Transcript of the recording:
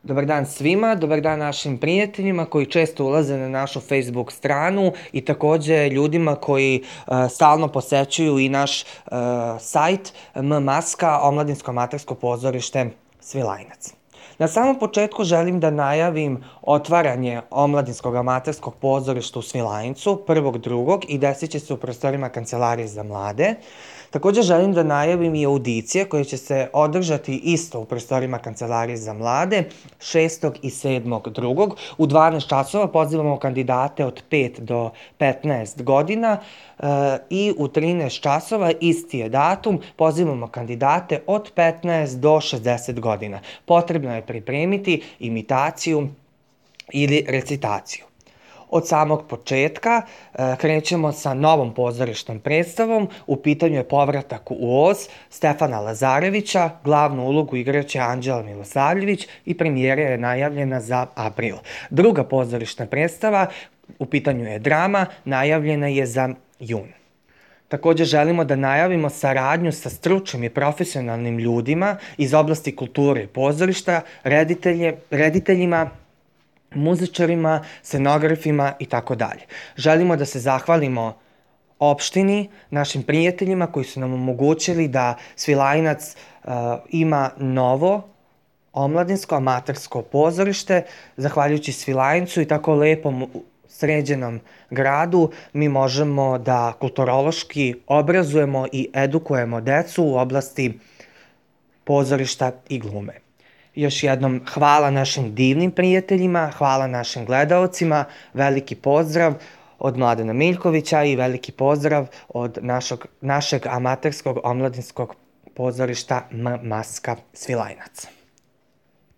Dobar dan svima, dobar dan našim prijateljima koji često ulaze na našu Facebook stranu i takođe ljudima koji stalno posećuju i naš sajt MMaska, Omladinsko amatersko pozorište Svilajnac. Na samom početku želim da najavim otvaranje Omladinskog amaterskog pozorišta u Svilajncu 1.2. i desit će se u prostorima Kancelarije za mlade. Takođe želim da najavim i audicije koje će se održati isto u prostorima Kancelarije za mlade 6. i 7.2. U 12 časova pozivamo kandidate od 5 do 15 godina i u 13 časova, isti je datum, pozivamo kandidate od 15 do 60 godina. Potrebno je pripremiti imitaciju ili recitaciju. Od samog početka krećemo sa novom pozorišnom predstavom. U pitanju je povratak u Oz Stefana Lazarevića, glavnu ulogu igraće Anđela Milosavljević i premijera je najavljena za april. Druga pozorišna predstava, u pitanju je drama, najavljena je za jun. Takođe želimo da najavimo saradnju sa stručnim i profesionalnim ljudima iz oblasti kulture i pozorišta, rediteljima, muzičarima, scenografima i tako dalje. Želimo da se zahvalimo opštini, našim prijateljima koji su nam omogućili da Svilajnac ima novo omladinsko amatersko pozorište. Zahvaljujući Svilajncu i tako lepom sređenom gradu mi možemo da kulturološki obrazujemo i edukujemo decu u oblasti pozorišta i glume. Još jednom hvala našim divnim prijateljima, hvala našim gledaocima, veliki pozdrav od Mladena Miljkovića i veliki pozdrav od našeg amaterskog omladinskog pozorišta MMaska Svilajnac.